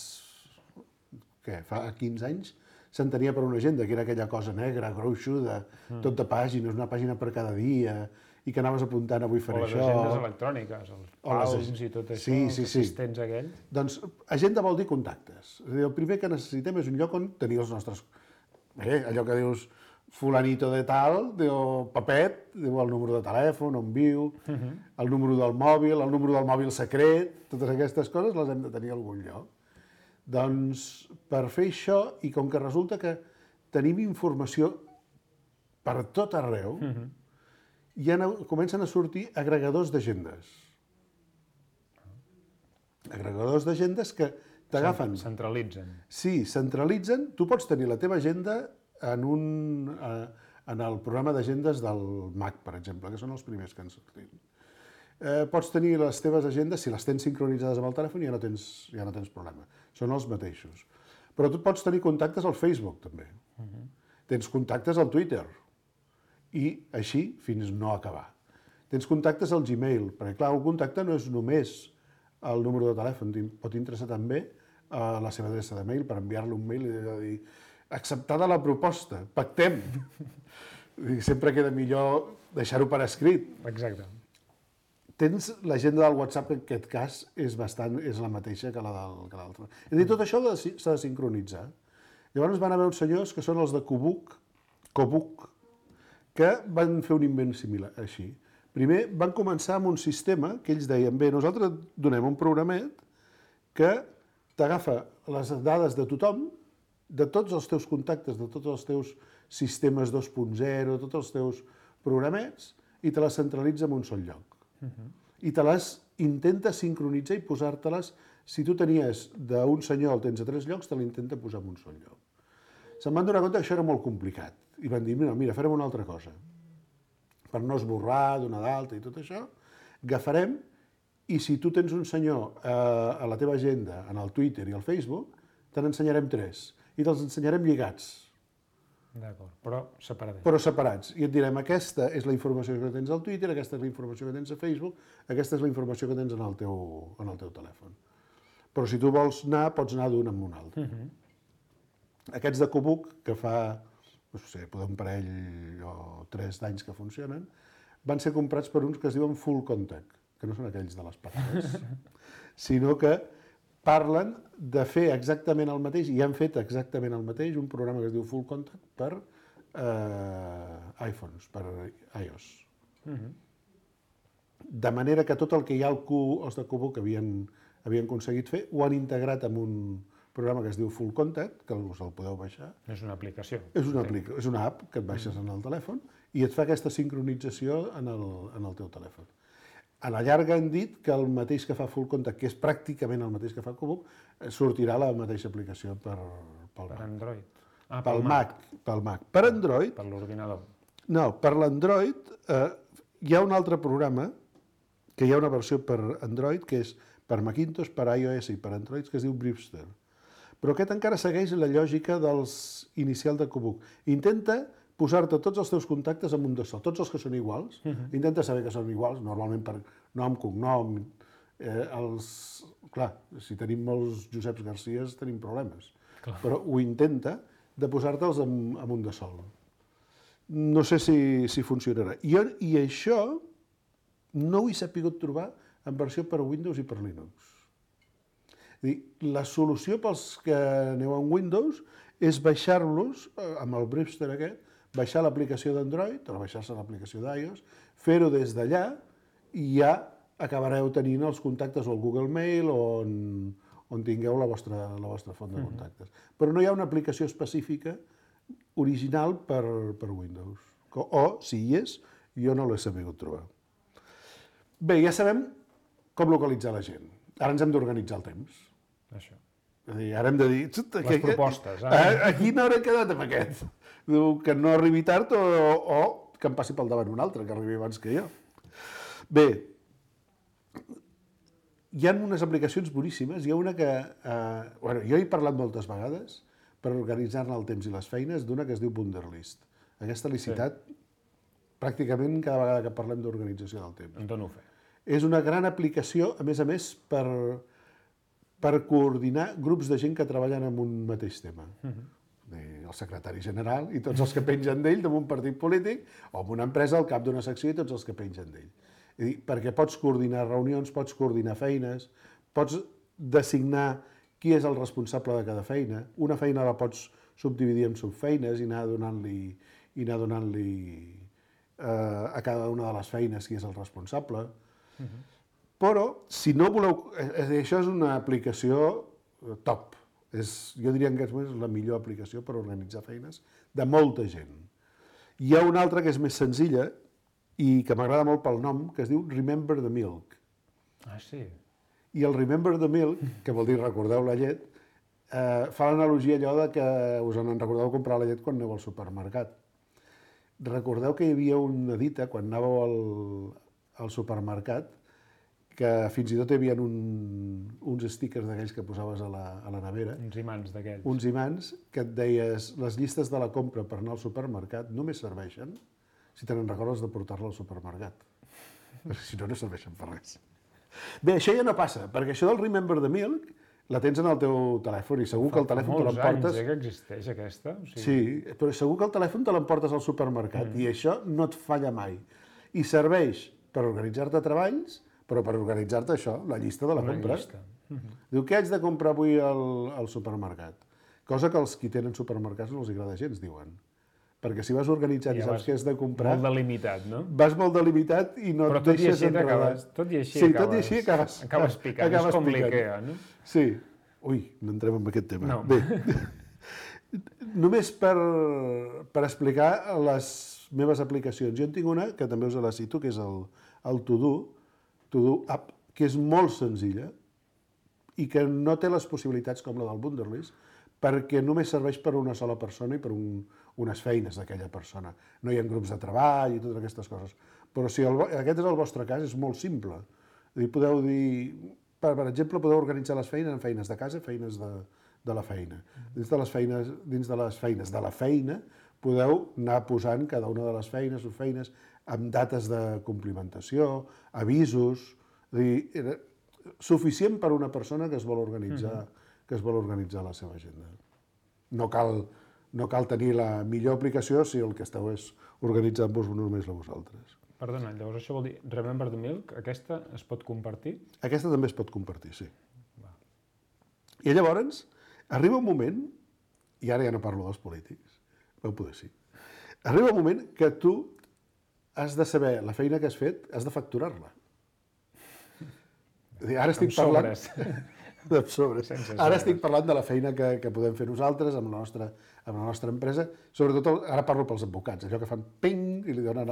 fa 15 anys s'entenia per una agenda, que era aquella cosa negra, gruixuda, tot de pàgines, una pàgina per cada dia, i que anaves apuntant avui faré això. O les agendes electròniques, els palms i tot això, els assistents aquells. Doncs agenda vol dir contactes. És a dir, el primer que necessitem és un lloc on tenir els nostres... allò que dius fulanito de tal, diu Pepet, diu el número de telèfon, on viu, el número del mòbil secret, totes aquestes coses les hem de tenir a algun lloc. Doncs per fer això, i com que resulta que tenim informació per tot arreu, comencen a sortir agregadors d'agendes. Agregadors d'agendes que t'agafen... Centralitzen. Sí, centralitzen. Tu pots tenir la teva agenda en el programa d'agendes del Mac, per exemple, que són els primers que han sortit. Pots tenir les teves agendes, si les tens sincronitzades amb el telèfon, ja no tens problema. Són els mateixos. Però tu pots tenir contactes al Facebook, també. Tens contactes al Twitter. I així fins no acabar. Tens contactes al Gmail, perquè clar, un contacte no és només el número de telèfon, pot interessar també la seva adreça de mail per enviar-li un mail i dir acceptada la proposta, pactem. Sempre queda millor deixar-ho per escrit. Exacte. Tens l'agenda del WhatsApp, que en aquest cas és la mateixa que l'altra. És a dir, tot això s'ha de sincronitzar. Llavors van haver uns senyors que són els de Kobuk, que van fer un invent similar, així. Primer van començar amb un sistema que ells deien, bé, nosaltres donem un programet que t'agafa les dades de tothom, de tots els teus contactes, de tots els teus sistemes 2.0, tots els teus programets, i te les centralitza en un sol lloc. I te les intenta sincronitzar i posar-te-les, si tu tenies d'un senyor el tens a 3 llocs, te l'intenta posar en un sol lloc. Se'n van donar compte que això era molt complicat i van dir, mira, farem una altra cosa. Per no esborrar, donar d'alta i tot això, agafarem i si tu tens un senyor a la teva agenda, en el Twitter i al Facebook, te n'ensenyarem 3 i te'ls ensenyarem lligats. D'acord, però separats. Però separats. I et direm, aquesta és la informació que tens al Twitter, aquesta és la informació que tens a Facebook, aquesta és la informació que tens en el teu telèfon. Però si tu vols anar, pots anar d'un amb un altre. Aquests de Kobuk, que fa, no sé, un parell o 3 d'anys que funcionen, van ser comprats per uns que es diuen Full Contact, que no són aquells de les patates, sinó que parlen de fer exactament el mateix, i han fet exactament el mateix, un programa que es diu Full Contact per iPhones, per iOS. De manera que tot el que ja els de Kobuk havien aconseguit fer, ho han integrat en un programa que es diu Full Contact, que us el podeu baixar. És una aplicació. És una app que et baixes en el telèfon i et fa aquesta sincronització en el teu telèfon. A la llarga han dit que el mateix que fa Full Contact, que és pràcticament el mateix que fa Kobuk, sortirà la mateixa aplicació pel Android. Pel Mac. Per Android... Per l'ordinador. No, per l'Android hi ha un altre programa, que hi ha una versió per Android, que és per Macintosh, per iOS i per Android, que es diu Brewster. Però aquest encara segueix la lògica inicial de Kobuk. Intenta posar-te tots els teus contactes en un de sol, tots els que són iguals. Intenta saber que són iguals, normalment per nom, cognom. Clar, si tenim molts Joseps Garcies tenim problemes. Però ho intenta de posar-te'ls en un de sol. No sé si funcionarà. I això no ho he sapigut trobar en versió per Windows i per Linux. La solució pels que aneu en Windows és baixar-los, amb el Brewster aquest, baixar l'aplicació d'Android o baixar-se l'aplicació d'iOS, fer-ho des d'allà i ja acabareu tenint els contactes o el Google Mail on tingueu la vostra font de contactes. Però no hi ha una aplicació específica original per Windows. O, si hi és, jo no l'he sabut trobar. Bé, ja sabem com localitzar la gent. Ara ens hem d'organitzar el temps. Això. És a dir, ara hem de dir... Les propostes. A quina hora he quedat amb aquest? Que no arribi tard o que em passi pel davant un altre, que arribi abans que jo. Bé, hi ha unes aplicacions boníssimes. Hi ha una que... jo he parlat moltes vegades per organitzar-ne el temps i les feines d'una que es diu Wunderlist. Aquesta l'he citat pràcticament cada vegada que parlem d'organització del temps. En dono fe. És una gran aplicació, a més, per coordinar grups de gent que treballen en un mateix tema. El secretari general i tots els que pengen d'ell d'un partit polític, o en una empresa, el cap d'una secció i tots els que pengen d'ell. Perquè pots coordinar reunions, pots coordinar feines, pots designar qui és el responsable de cada feina. Una feina la pots subdividir en subfeines i anar donant-li a cada una de les feines qui és el responsable. Però, si no voleu... Això és una aplicació top. Jo diria que és la millor aplicació per organitzar feines de molta gent. Hi ha una altra que és més senzilla i que m'agrada molt pel nom, que es diu Remember the Milk. Ah, sí? I el Remember the Milk, que vol dir recordeu la llet, fa l'analogia allò de que us en recordeu comprar la llet quan aneu al supermercat. Recordeu que hi havia una dita, quan anàveu al supermercat, que fins i tot hi havia uns stickers d'aquells que posaves a la nevera. Uns imants d'aquells. Uns imants que et deies les llistes de la compra per anar al supermercat només serveixen si te n'en recordes de portar-la al supermercat. Si no, no serveixen per res. Bé, això ja no passa, perquè això del Remember the Milk la tens en el teu telèfon i segur que el telèfon te l'emportes... Fa molts anys que existeix aquesta. Sí, però segur que el telèfon te l'emportes al supermercat i això no et falla mai. I serveix per organitzar-te treballs, però per organitzar-te això, la llista de la compra. Diu, què haig de comprar avui al supermercat? Cosa que els qui tenen supermercats no els agrada gens, diuen. Perquè si vas organitzant i saps què has de comprar... Molt delimitat, no? Vas molt delimitat i no et deixes enredar. Tot i així acabes... Acabes picant, és com l'Ikea, no? Sí. Ui, no entrem en aquest tema. No. Bé, només per explicar les meves aplicacions. Jo en tinc una, que també us la cito, que és el To Do App, que és molt senzilla i que no té les possibilitats com la del Wunderlist, perquè només serveix per una sola persona i per unes feines d'aquella persona. No hi ha grups de treball i totes aquestes coses. Però si aquest és el vostre cas, és molt simple. Podeu dir, per exemple, podeu organitzar les feines en feines de casa, feines de la feina. Dins de les feines de la feina podeu anar posant cada una de les feines o feines amb dates de complimentació, avisos, suficient per a una persona que es vol organitzar la seva agenda. No cal tenir la millor aplicació si el que esteu és organitzant-vos només a vosaltres. Perdona, llavors això vol dir Remember the Milk, aquesta es pot compartir? Aquesta també es pot compartir, sí. I llavors arriba un moment, i ara ja no parlo dels polítics, vau poder sí, arriba un moment que tu has de saber la feina que has fet, has de facturar-la. Ara estic parlant... Ara estic parlant de la feina que podem fer nosaltres amb la nostra empresa. Sobretot, ara parlo pels advocats, allò que fan ping i li donen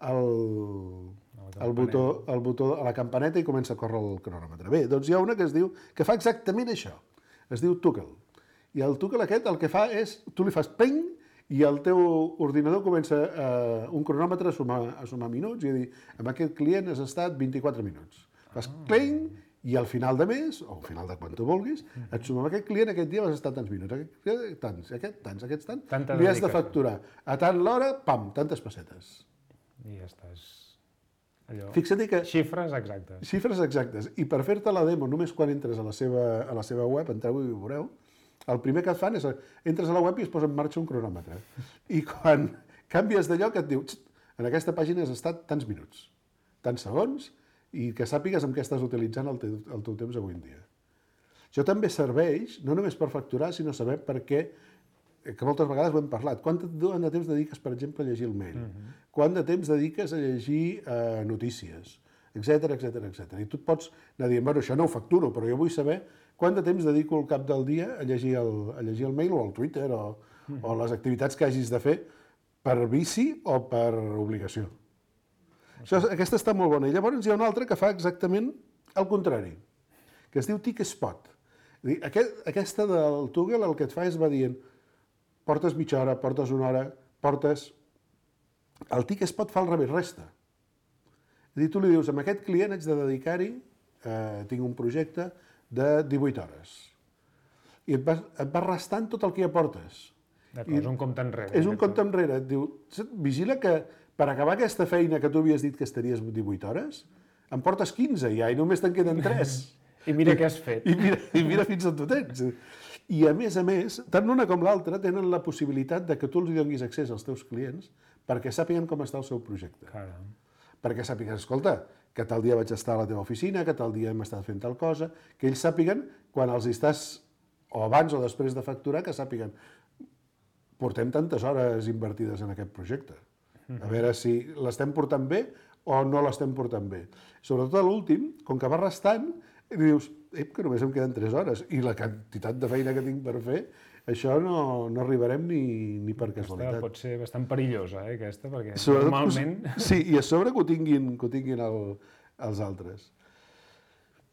el botó a la campaneta i comença a córrer el cronòmetre. Bé, doncs hi ha una que fa exactament això. Es diu Toggle. I el Toggle aquest el que fa és, tu li fas ping i el teu ordinador comença un cronòmetre a sumar minuts i a dir, amb aquest client has estat 24 minuts. Fas cling i al final de mes, o al final de quan tu vulguis, et suma amb aquest client, aquest dia vas estar tants minuts, aquests tants, li has de facturar. A tant l'hora, pam, tantes pessetes. I ja estàs... Allò... Fixa't que... Xifres exactes. Xifres exactes. I per fer-te la demo, només quan entres a la seva web, entreu i ho veureu, el primer que et fan és entres a la web i es posa en marxa un cronòmetre. I quan canvies de lloc et diu, en aquesta pàgina has estat tants minuts, tants segons, i que sàpigues amb què estàs utilitzant el teu temps avui en dia. Això també serveix, no només per facturar, sinó saber per què, que moltes vegades ho hem parlat, quant de temps dediques, per exemple, a llegir el mail, quant de temps dediques a llegir notícies, etcètera. I tu et pots anar dient, bueno, això no ho facturo, però jo vull saber quant de temps dedico al cap del dia a llegir el mail o el Twitter o les activitats que hagis de fer per vici o per obligació. Aquesta està molt bona. I llavors hi ha una altra que fa exactament el contrari, que es diu TickSpot. Aquesta del Toggle el que et fa és va dient portes mitja hora, portes una hora, portes... El TickSpot fa al revés, resta. És a dir, tu li dius, amb aquest client haig de dedicar-hi, tinc un projecte de 18 hores. I et va restant tot el que hi aportes. D'acord, és un compte enrere. És un compte enrere. Et diu, vigila que per acabar aquesta feina que tu havies dit que estaries 18 hores, em portes 15 ja i només te'n queden 3. I mira què has fet. I mira fins on tu tens. I a més, tant l'una com l'altra tenen la possibilitat de que tu els donis accés als teus clients perquè sàpiguen com està el seu projecte. Caram. Perquè sàpiguen, escolta, que tal dia vaig estar a la teva oficina, que tal dia hem estat fent tal cosa, que ells sàpiguen quan els estàs, o abans o després de facturar, que sàpiguen portem tantes hores invertides en aquest projecte. A veure si l'estem portant bé o no l'estem portant bé. Sobretot a l'últim, com que va restant, dius, que només em queden 3 hores i la quantitat de feina que tinc per fer, això no arribarem ni per casualitat. Pot ser bastant perillosa, aquesta, perquè Sobretot, normalment... Sí, i a sobre que ho tinguin els altres.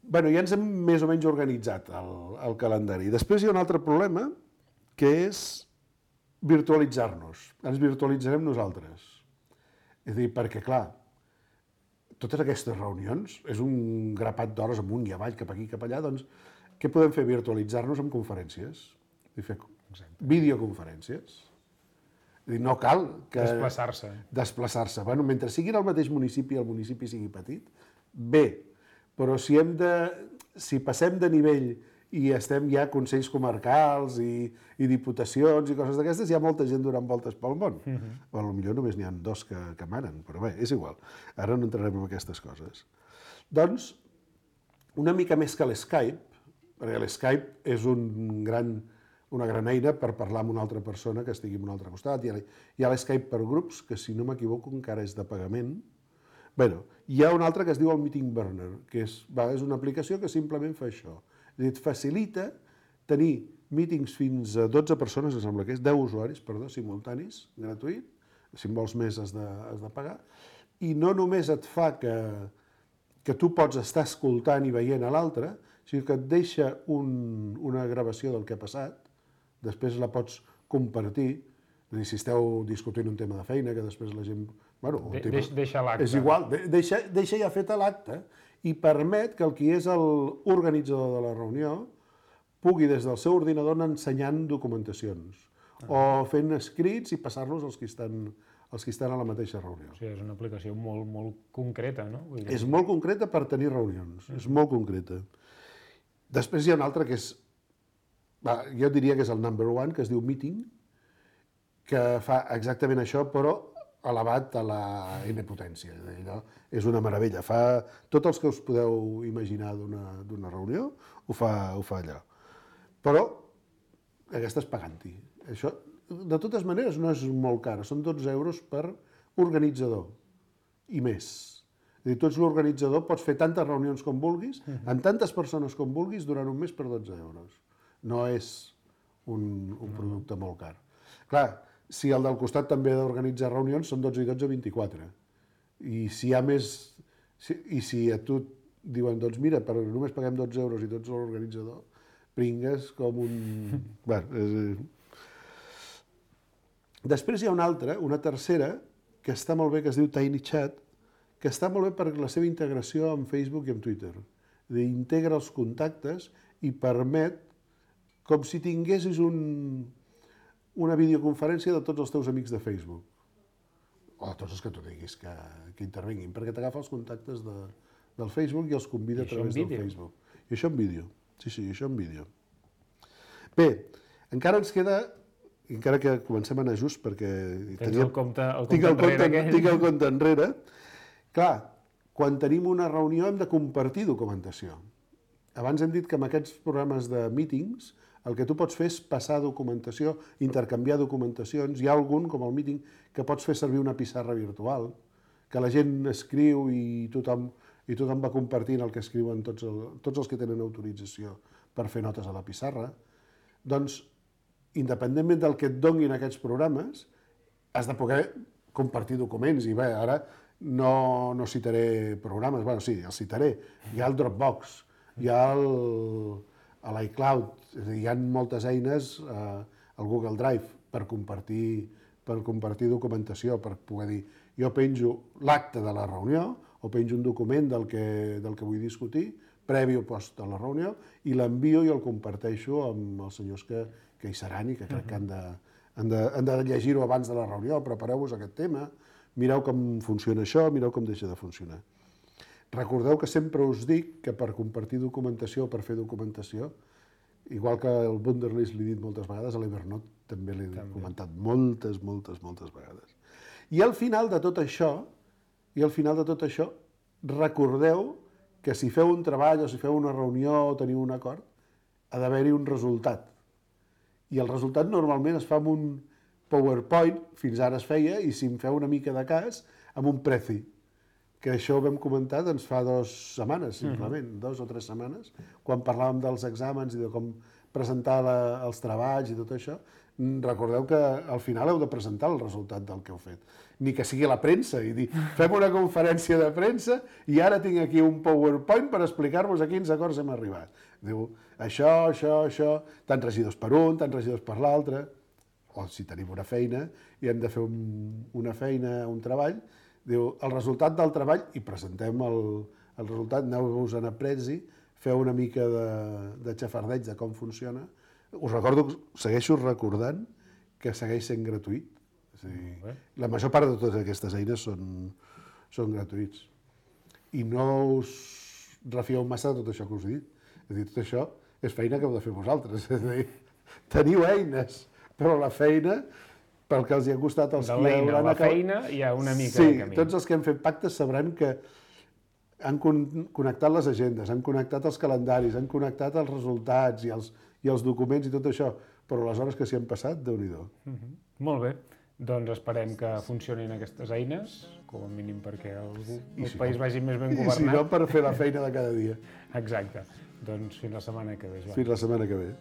Bé, ja ens hem més o menys organitzat el calendari. Després hi ha un altre problema, que és virtualitzar-nos. Ens virtualitzarem nosaltres. És a dir, perquè, clar, totes aquestes reunions és un grapat d'hores amunt i avall, cap aquí, cap allà, doncs què podem fer? Virtualitzar-nos amb conferències. I fer videoconferències. És dir, no cal que... Desplaçar-se. Bueno, mentre siguin al mateix municipi i el municipi sigui petit, bé, però si passem de nivell i estem ja a consells comarcals i diputacions i coses d'aquestes, hi ha molta gent donant voltes pel món. O potser només n'hi ha 2 que manen, però bé, és igual. Ara no entrarem en aquestes coses. Doncs, una mica més que l'Skype, perquè l'Skype és una gran eina per parlar amb una altra persona que estigui en un altre costat. Hi ha l'Skype per grups, que si no m'equivoco encara és de pagament. Bé, hi ha un altre que es diu el Meeting Burner, que és una aplicació que simplement fa això. Et facilita tenir mítings fins a 12 persones, em sembla que és 10 usuaris, simultanis, gratuït, si en vols més has de pagar, i no només et fa que tu pots estar escoltant i veient a l'altre, sinó que et deixa una gravació del que ha passat, després la pots compartir, és a dir, si esteu discutint un tema de feina, que després la gent... Deixa l'acte. És igual, deixa ja feta l'acte, i permet que el qui és l'organitzador de la reunió pugui des del seu ordinador anar ensenyant documentacions o fent escrits i passar-los als qui estan a la mateixa reunió. O sigui, és una aplicació molt, molt concreta, no? És molt concreta per tenir reunions, és molt concreta. Després hi ha un altre que és, jo diria que és el number 1, que es diu Meeting, que fa exactament això, però elevat a la N potència. Allò és una meravella. Fa tots els que us podeu imaginar d'una reunió, ho fa allò. Però aquesta és pagant-hi. Això, de totes maneres, no és molt cara. Són 12 euros per organitzador i més. És a dir, tu ets l'organitzador, pots fer tantes reunions com vulguis, amb tantes persones com vulguis, durant un mes per 12 euros. No és un producte molt car. Clar, si el del costat també ha d'organitzar reunions, són 12 i 12, 24. I si hi ha més... I si a tu diuen, doncs mira, només paguem 12 euros i tu ets l'organitzador, pringues com un... Després hi ha una tercera, que està molt bé, que es diu TinyChat, que està molt bé per la seva integració amb Facebook i amb Twitter. Integra els contactes i permet, com si tinguessis una videoconferència de tots els teus amics de Facebook, o de tots els que tu diguis que intervinguin, perquè t'agafa els contactes del Facebook i els convida a través del Facebook. I això en vídeo. Sí, això en vídeo. Bé, encara ens queda, encara que comencem a anar just, perquè... Tens el compte enrere aquell. Tinc el compte enrere. Clar, quan tenim una reunió hem de compartir documentació. Abans hem dit que amb aquests programes de meetings el que tu pots fer és passar documentació, intercanviar documentacions. Hi ha algun, com el Meeting, que pots fer servir una pissarra virtual, que la gent escriu i tothom va compartint el que escriuen tots els que tenen autorització per fer notes a la pissarra. Doncs, independentment del que et donin aquests programes, has de poder compartir documents. I bé, ara no citaré programes, bueno, sí, els citaré. Hi ha el Dropbox, hi ha l'iCloud, hi ha moltes eines, el Google Drive, per compartir documentació, per poder dir, jo penjo l'acte de la reunió o penjo un document del que vull discutir, previ o post a la reunió, i l'envio i el comparteixo amb els senyors que hi seran i que crec que han de llegir-ho abans de la reunió, prepareu-vos aquest tema, mireu com funciona això, mireu com deixa de funcionar. Recordeu que sempre us dic que per compartir documentació o per fer documentació, igual que el Wunderlist l'he dit moltes vegades, a l'Evernote també l'he comentat moltes vegades. I al final de tot això, recordeu que si feu un treball o si feu una reunió o teniu un acord, ha d'haver-hi un resultat. I el resultat normalment es fa amb un PowerPoint, fins ara es feia, i si em feu una mica de cas, amb un preci. Que això ho vam comentar doncs, fa 2 setmanes, simplement, 2 o 3 setmanes, quan parlàvem dels exàmens i de com presentar els treballs i tot això. Recordeu que al final heu de presentar el resultat del que heu fet. Ni que sigui a la premsa i dir, fem una conferència de premsa i ara tinc aquí un PowerPoint per explicar-vos a quins acords hem arribat. Diu, això, tants regidors per un, tants regidors per l'altre, o si tenim una feina i hem de fer una feina, un treball, diu, el resultat del treball, i presentem el resultat, aneu-vos a Prezi, feu una mica de xafardeig de com funciona. Us recordo, segueixo recordant que segueix sent gratuït. És a dir, la major part de totes aquestes eines són gratuïts. I no us refieu massa de tot això que us he dit. És a dir, tot això és feina que heu de fer vosaltres. És a dir, teniu eines, però la feina, pel que els hi ha costat els que hauran acabat... De l'eina a la feina hi ha una mica de camí. Sí, tots els que han fet pactes sabran que han connectat les agendes, han connectat els calendaris, han connectat els resultats i els documents i tot això, però les hores que s'hi han passat, Déu-n'hi-do. Molt bé, doncs esperem que funcionin aquestes eines, com a mínim perquè el país vagi més ben governat. I si no, per fer la feina de cada dia. Exacte. Doncs fins la setmana que ve, Joan. Fins la setmana que ve.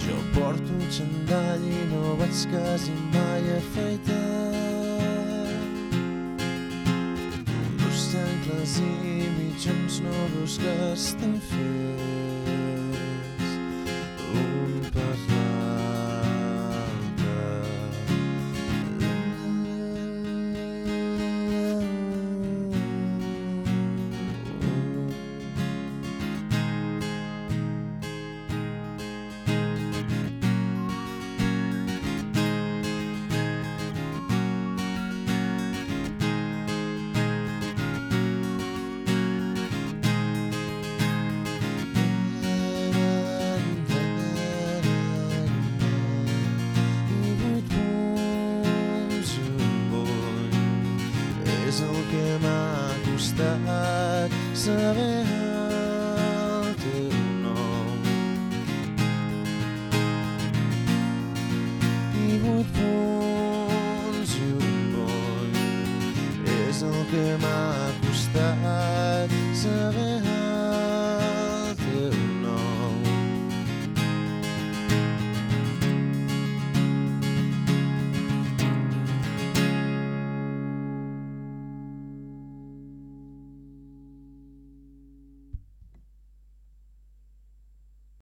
Jo porto un xandall i no vaig quasi mai afaitat. Dos xancles i mitjons nous que estan fets un per l'altre. És el que m'ha costat saber el teu nom. I 8 punts i un bony és el que m'ha costat saber